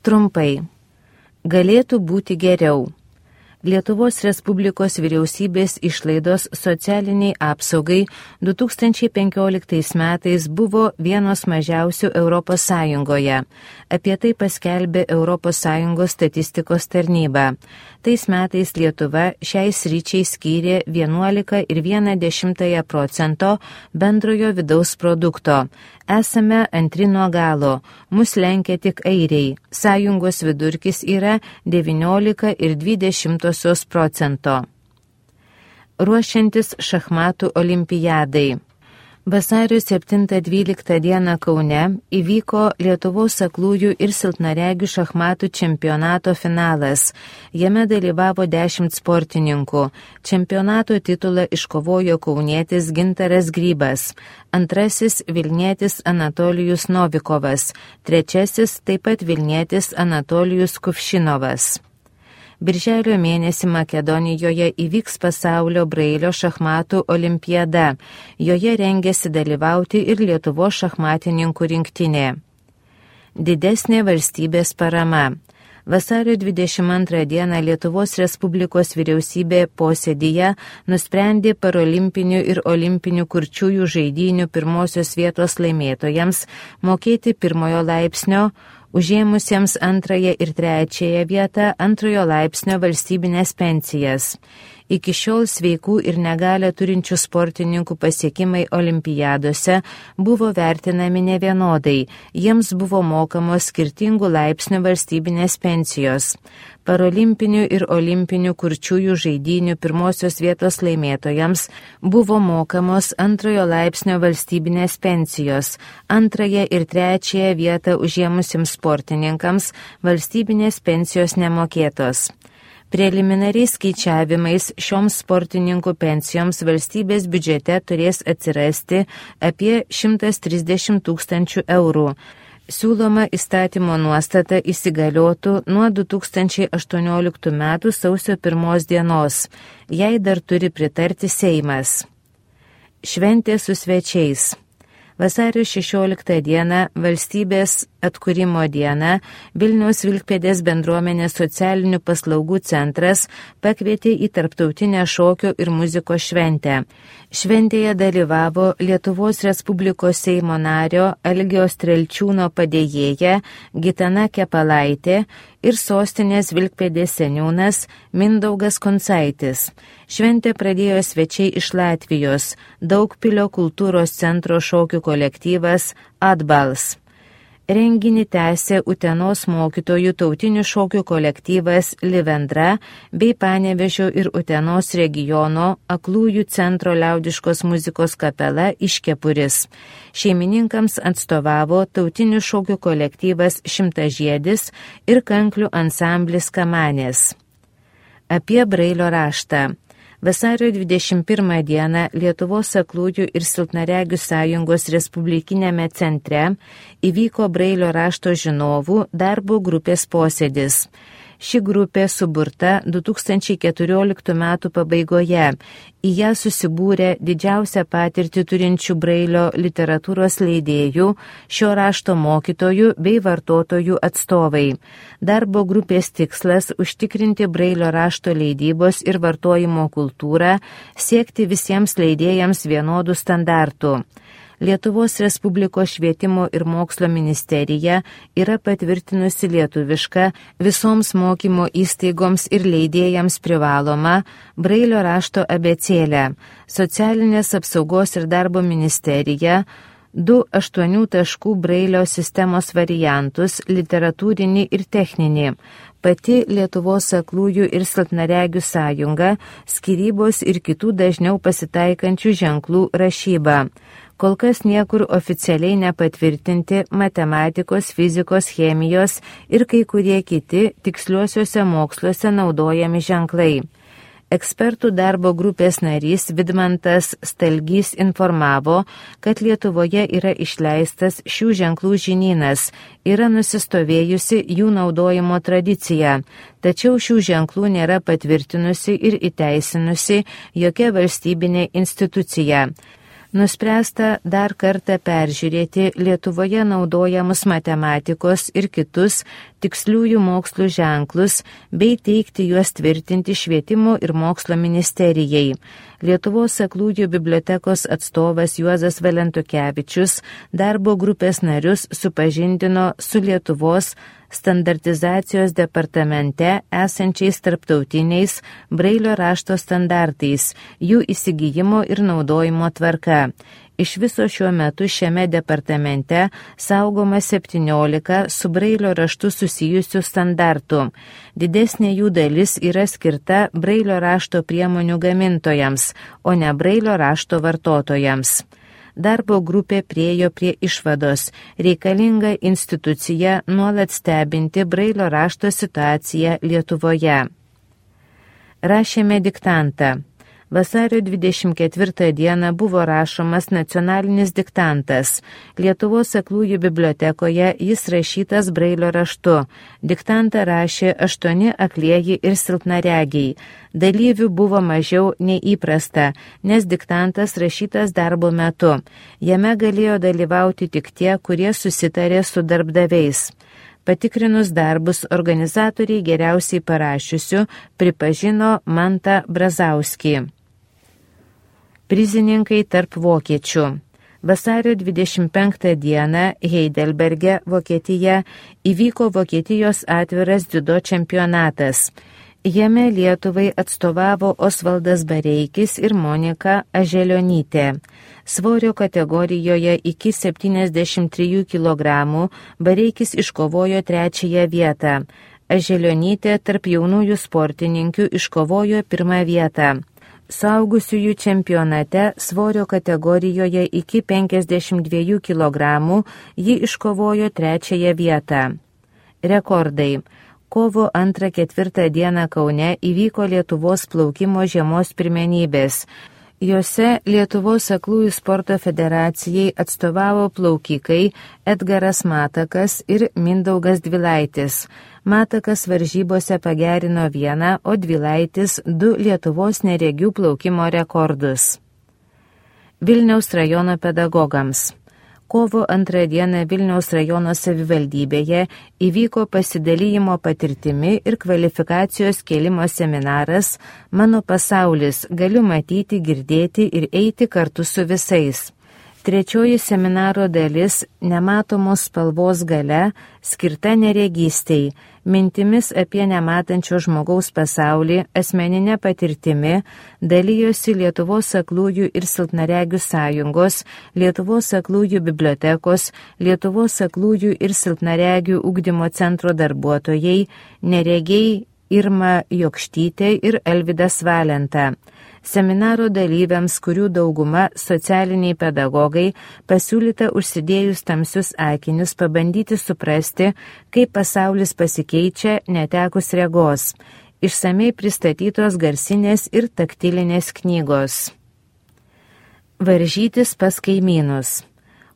Trumpai. Galėtų būti geriau. Lietuvos Respublikos vyriausybės išlaidos socialiniai apsaugai 2015 metais buvo vienos mažiausių Europos Sąjungoje. Apie tai paskelbė Europos Sąjungos statistikos tarnyba. Tais metais Lietuva šiai sričiai skyrė 11,1% bendrojo vidaus produkto. Esame antri nuo galo, mus lenkia tik airiai. Sąjungos vidurkis yra 19,2%. Ruošiantis šachmatų olimpiadai. Vasario 7-12 dieną Kaune įvyko Lietuvos aklųjų ir silpnaregių šachmatų čempionato finalas. Jame dalyvavo 10 sportininkų. Čempionato titulą iškovojo kaunietis Gintaras Grybas, antrasis Vilnietis Anatolijus Novikovas, trečiasis taip pat Vilnietis Anatolijus Kuvšinovas. Birželio mėnesį Makedonijoje įvyks pasaulio brailio šachmatų olimpiada. Joje rengiasi dalyvauti ir Lietuvos šachmatininkų rinktinė. Didesnė valstybės parama. Vasario 22 dieną Lietuvos Respublikos vyriausybė posėdyje nusprendė parolimpinių ir olimpinių kurčiųjų žaidynių pirmosios vietos laimėtojams mokėti pirmojo laipsnio, užėmusiems antrąją ir trečiąją vietą antrojo laipsnio valstybinės pensijas. Iki šiol sveikų ir negalią turinčių sportininkų pasiekimai olimpiadose buvo vertinami nevienodai, jiems buvo mokamos skirtingų laipsnių valstybinės pensijos. Parolimpinių ir olimpinių kurčiųjų žaidynių pirmosios vietos laimėtojams buvo mokamos antrojo laipsnio valstybinės pensijos, antrąją ir trečiąją vietą užėmusiems sportininkams valstybinės pensijos nemokėtos. Preliminariais skaičiavimais šioms sportininkų pensijoms valstybės biudžete turės atsirasti apie 130 000 eurų. Siūloma įstatymo nuostata įsigaliotų nuo 2018 m. sausio 1 dienos. Jai dar turi pritarti Seimas. Šventė su svečiais. Vasario 16 dieną valstybės atkūrimo dieną Vilniaus Vilkpėdės bendruomenės socialinių paslaugų centras pakvietė į tarptautinę šokio ir muzikos šventę. Šventėje dalyvavo Lietuvos Respublikos Seimo nario Algio Strelčiūno padėjėja Gitana Kepalaitė ir sostinės Vilkpėdės seniūnas Mindaugas Koncaitis. Šventę pradėjo svečiai iš Latvijos, Daugpilio kultūros centro šokių kolektyvas Atbals. Renginį tęsė Utenos mokytojų tautinių šokių kolektyvas Livendra bei Panevėžio ir Utenos regiono aklųjų centro liaudiškos muzikos kapela Iškepuris. Šeimininkams atstovavo tautinių šokių kolektyvas Šimtažiedis ir kanklių ansamblis Kamanės. Apie brailio raštą. Vasario 21 dieną Lietuvos aklųjų ir silpnaregių sąjungos Respublikinėme centre įvyko brailio rašto žinovų darbo grupės posėdis. Ši grupė suburta 2014 m. pabaigoje. Į ją susibūrė didžiausią patirtį turinčių brailio literatūros leidėjų, šio rašto mokytojų bei vartotojų atstovai. Darbo grupės tikslas – užtikrinti brailio rašto leidybos ir vartojimo kultūrą, siekti visiems leidėjams vienodų standartų. Lietuvos Respublikos švietimo ir mokslo ministerija yra patvirtinusi lietuvišką visoms mokymo įstaigoms ir leidėjams privalomą brailio rašto abėcėlę. Socialinės apsaugos ir darbo ministerija 2 8 taškų brailio sistemos variantus, literatūrinį ir techninį. Pati Lietuvos aklųjų ir silpnaregių sąjunga, skyrybos ir kitų dažniau pasitaikančių ženklų rašyba. Kol kas niekur oficialiai nepatvirtinti matematikos, fizikos, chemijos ir kai kurie kiti tiksliuosiuose moksluose naudojami ženklai. Ekspertų darbo grupės narys Vidmantas Stalgys informavo, kad Lietuvoje yra išleistas šių ženklų žinynas, yra nusistovėjusi jų naudojimo tradicija, tačiau šių ženklų nėra patvirtinusi ir įteisinusi jokia valstybinė institucija. Nuspręsta dar kartą peržiūrėti Lietuvoje naudojamus matematikos ir kitus tiksliųjų mokslų ženklus bei teikti juos tvirtinti Švietimo ir mokslo ministerijai. Lietuvos aklųjų bibliotekos atstovas Juozas Valentukevičius darbo grupės narius supažindino su Lietuvos standartizacijos departamente esančiais tarptautiniais Brailio rašto standartais, jų įsigijimo ir naudojimo tvarka. Iš viso šiuo metu šiame departamente saugoma 17 su Brailio raštu susijusių standartų. Didesnė jų dalis yra skirta Brailio rašto priemonių gamintojams, o ne Brailio rašto vartotojams. Darbo grupė priėjo prie išvados, reikalinga institucija nuolat stebinti Brailio rašto situaciją Lietuvoje. Rašėme diktantą. Vasario 24 dieną buvo rašomas nacionalinis diktantas. Lietuvos aklųjų bibliotekoje jis rašytas Brailio raštu. Diktantą rašė 8 aklieji ir silpnaregiai. Dalyvių buvo mažiau nei įprasta, nes diktantas rašytas darbo metu. Jame galėjo dalyvauti tik tie, kurie susitarė su darbdaviais. Patikrinus darbus, organizatoriai geriausiai parašiusių pripažino Mantą Brazauskį. Prizininkai tarp vokiečių. Vasario 25 dieną Heidelberge, Vokietija, įvyko Vokietijos atviras dziudo čempionatas. Jame Lietuvai atstovavo Osvaldas Bareikis ir Monika Aželionytė. Svorio kategorijoje iki 73 kg Bareikis iškovojo 3 vietą. Aželionytė tarp jaunųjų sportininkių iškovojo 1 vietą. Suaugusiųjų čempionate svorio kategorijoje iki 52 kg ji iškovojo 3 vietą. Rekordai. Kovo 2-4 dieną Kaune įvyko Lietuvos plaukimo žiemos pirmenybės. Jose Lietuvos aklųjų sporto federacijai atstovavo plaukikai Edgaras Matakas ir Mindaugas Dvilaitis. Matakas varžybose pagerino 1, o Dvilaitis 2 Lietuvos neregių plaukimo rekordus. Vilniaus rajono pedagogams. Kovo 2 dieną Vilniaus rajono savivaldybėje įvyko pasidalijimo patirtimi ir kvalifikacijos kėlimo seminaras Mano pasaulis, galiu matyti, girdėti ir eiti kartu su visais. 3 seminaro dalis Nematomos spalvos galia skirta neregystei, mintimis apie nematančio žmogaus pasaulį, asmeninę patirtimi dalijosi Lietuvos aklųjų ir silpnaregių sąjungos, Lietuvos aklųjų bibliotekos, Lietuvos aklųjų ir silpnaregių ugdymo centro darbuotojai, neregiai Irma Jokštytė ir Alvydas Valenta. Seminaro dalyviams, kurių dauguma socialiniai pedagogai, pasiūlyta užsidėjus tamsius akinius pabandyti suprasti, kaip pasaulis pasikeičia netekus regos. Išsamei pristatytos garsinės ir taktilinės knygos. Varžytis pas kaimynus.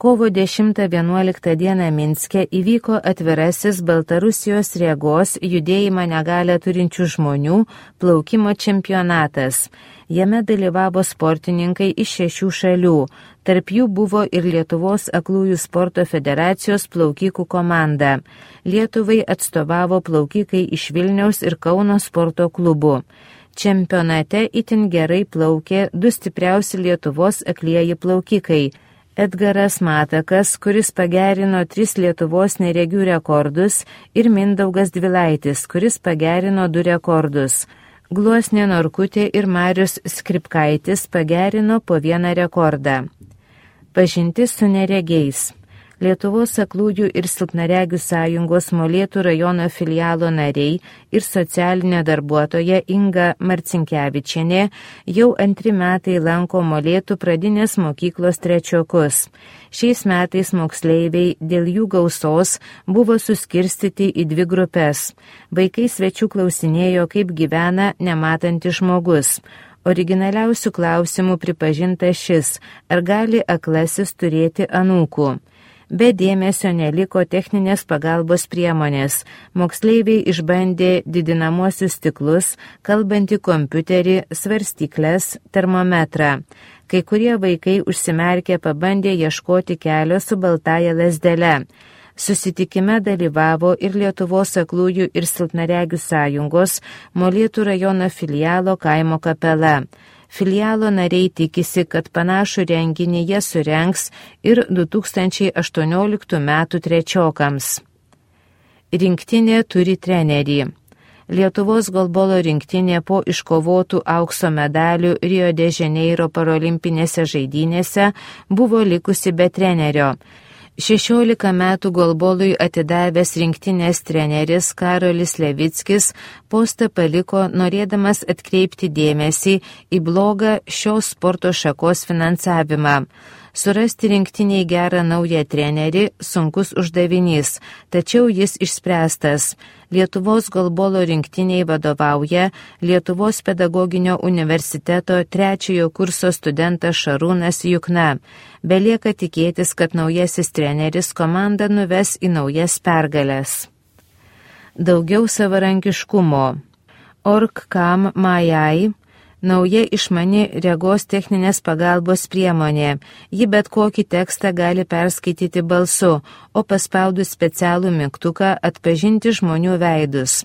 Kovo 10-11 dieną Minske įvyko atvirasis Baltarusijos regos judėjimą negalią turinčių žmonių plaukimo čempionatas. Jame dalyvavo sportininkai iš 6 šalių, tarp jų buvo ir Lietuvos aklųjų sporto federacijos plaukikų komanda. Lietuvai atstovavo plaukikai iš Vilniaus ir Kauno sporto klubų. Čempionate itin gerai plaukė 2 stipriausi Lietuvos aklieji plaukikai. Edgaras Matakas, kuris pagerino 3 Lietuvos neregių rekordus, ir Mindaugas Dvilaitis, kuris pagerino 2 rekordus. Gluosnė Norkutė ir Marius Skripkaitis pagerino po 1 rekordą. Pažintis su neregiais. Lietuvos aklųjų ir silpnaregių sąjungos Molėtų rajono filialo nariai ir socialinė darbuotoja Inga Marcinkevičienė jau 2 metai lanko Molėtų pradinės mokyklos 3-okus. Šiais metais moksleiviai dėl jų gausos buvo suskirstyti į 2 grupės. Vaikai svečių klausinėjo, kaip gyvena nematantis žmogus. Originaliausių klausimų pripažinta šis, ar gali aklasis turėti anūkų. Be dėmesio neliko techninės pagalbos priemonės. Moksleiviai išbandė didinamuosius stiklus, kalbantį kompiuterį, svarstyklės, termometrą. Kai kurie vaikai užsimerkę pabandė ieškoti kelio su baltaja lazdele. Susitikime dalyvavo ir Lietuvos aklųjų ir silpnaregių sąjungos Molėtų rajono filialo kaimo kapela. Filialo nariai tikisi, kad panašų renginį jie surengs ir 2018 metų trečiokams. Rinktinė turi trenerį. Lietuvos golbolo rinktinė po iškovotų aukso medalių Rio de Janeiro parolimpinėse žaidynėse buvo likusi be trenerio. 16 metų golbolui atidavęs rinktinės treneris Karolis Levickis postą paliko norėdamas atkreipti dėmesį į blogą šios sporto šakos finansavimą. Surasti rinktiniai gerą naują trenerį sunkus uždavinys, tačiau jis išspręstas. Lietuvos golbolo rinktiniai vadovauja Lietuvos pedagoginio universiteto 3 kurso studentas Šarūnas Jukna. Belieka tikėtis, kad naujasis treneris komandą nuves į naujas pergales. Daugiau savarankiškumo. Org.com Majai. Nauja išmani regos techninės pagalbos priemonė. Ji bet kokį tekstą gali perskaityti balsu, o paspaudus specialų mygtuką atpažinti žmonių veidus.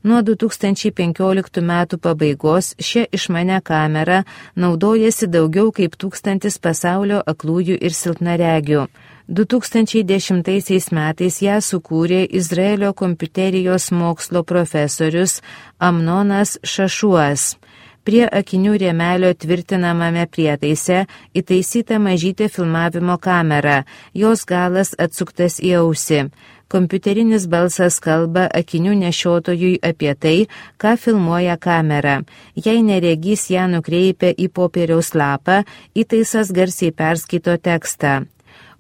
Nuo 2015 metų pabaigos šią išmanę kamerą naudojasi daugiau kaip 1000 pasaulio aklųjų ir silpnaregių. 2010 metais ją sukūrė Izraelio kompiuterijos mokslo profesorius Amnonas Šašuas. Prie akinių rėmelio tvirtinamame prietaise įtaisyta mažytė filmavimo kamera, jos galas atsuktas į ausį. Kompiuterinis balsas kalba akinių nešiotojui apie tai, ką filmuoja kamera. Jei neregys ją nukreipia į popieriaus lapą, įtaisas garsiai perskaito tekstą.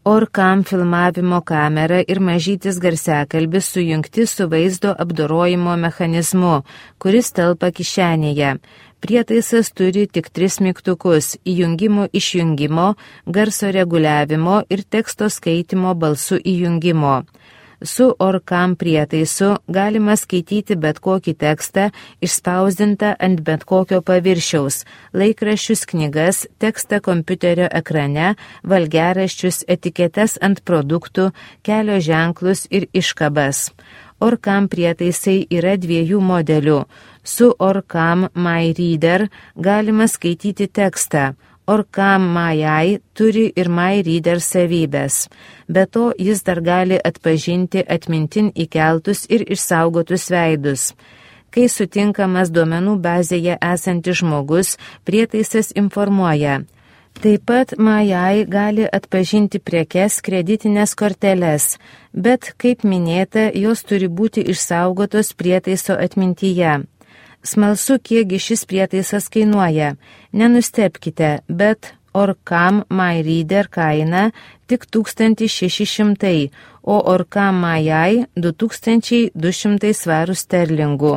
Org.com filmavimo kamera ir mažytis garsiakalbis sujungti su vaizdo apdorojimo mechanizmu, kuris telpa kišenėje. Prietaisas turi tik 3 mygtukus – įjungimo išjungimo, garso reguliavimo ir teksto skaitimo balsu įjungimo. Su Org.com prietaisu galima skaityti bet kokį tekstą išspausdintą ant bet kokio paviršiaus, laikraščius, knygas, tekstą kompiuterio ekrane, valgiaraščius, etiketes ant produktų, kelio ženklus ir iškabas. Org.com prietaisai yra 2 modelių. Su Org.com MyReader galima skaityti tekstą. Org.com Majai turi ir MyReader savybės. Be to, jis dar gali atpažinti atmintin įkeltus ir išsaugotus veidus. Kai sutinkamas duomenų bazėje esantis žmogus, prietaisas informuoja. Taip pat Majai gali atpažinti prekes, kreditinės korteles, bet, kaip minėta, jos turi būti išsaugotos prietaiso atmintyje. Smalsu, kiekgi šis prietaisas kainuoja. Nenustebkite, bet Org.com MyReader kaina tik 1600, o Org.com Majai 2200 svarų sterlingų.